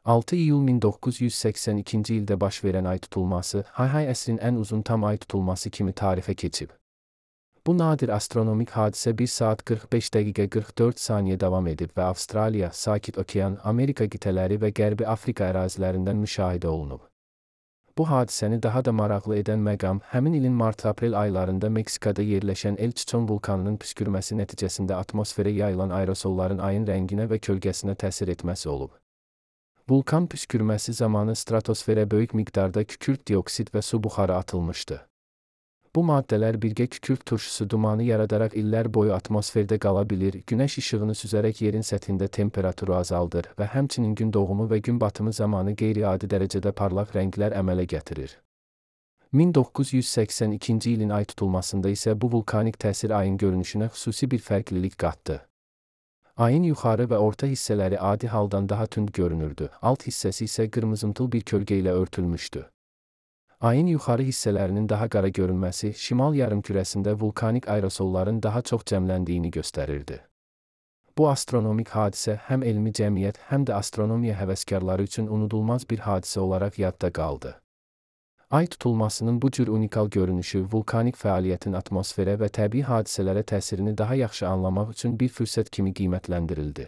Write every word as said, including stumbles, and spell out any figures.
altı iyul min doqquz yüz səksən ikinci ildə baş verən ay tutulması, Hay-Hay əsrin ən uzun tam ay tutulması kimi tarixə keçib. Bu nadir astronomik hadisə bir saat qırx beş dəqiqə qırx dörd saniyə davam edib və Avstraliya, Sakit Okean, Amerika qitələri və Qərbi Afrika ərazilərindən müşahidə olunub. Bu hadisəni daha da maraqlı edən məqam, həmin ilin mart-aprel aylarında Meksikada yerləşən El Chichon vulkanının püskürməsi nəticəsində atmosferə yayılan aerosolların ayın rənginə və kölgəsinə təsir etməsi olub. Vulkan püskürməsi zamanı stratosferə böyük miqdarda kükürt dioksid və su buxarı atılmışdı. Bu maddələr birgə kükürt turşusu dumanı yaradaraq illər boyu atmosferdə qala bilir, günəş işığını süzərək yerin səthində temperaturu azaldır və həmçinin gün doğumu və gün batımı zamanı qeyri-adi dərəcədə parlaq rənglər əmələ gətirir. min doqquz yüz səksən ikinci ilin ay tutulmasında isə bu vulkanik təsir ayın görünüşünə xüsusi bir fərqlilik qatdı. Ayın yuxarı və orta hissələri adi haldan daha tünd görünürdü, alt hissəsi isə qırmızımtıl bir kölgə ilə örtülmüşdü. Ayın yuxarı hissələrinin daha qara görünməsi, şimal yarımkürəsində vulkanik aerosolların daha çox cəmləndiyini göstərirdi. Bu astronomik hadisə həm elmi cəmiyyət, həm də astronomiya həvəskarları üçün unudulmaz bir hadisə olaraq yadda qaldı. Ay tutulmasının bu cür unikal görünüşü, vulkanik fəaliyyətin atmosferə və təbii hadisələrə təsirini daha yaxşı anlamaq üçün bir fürsət kimi qiymətləndirildi.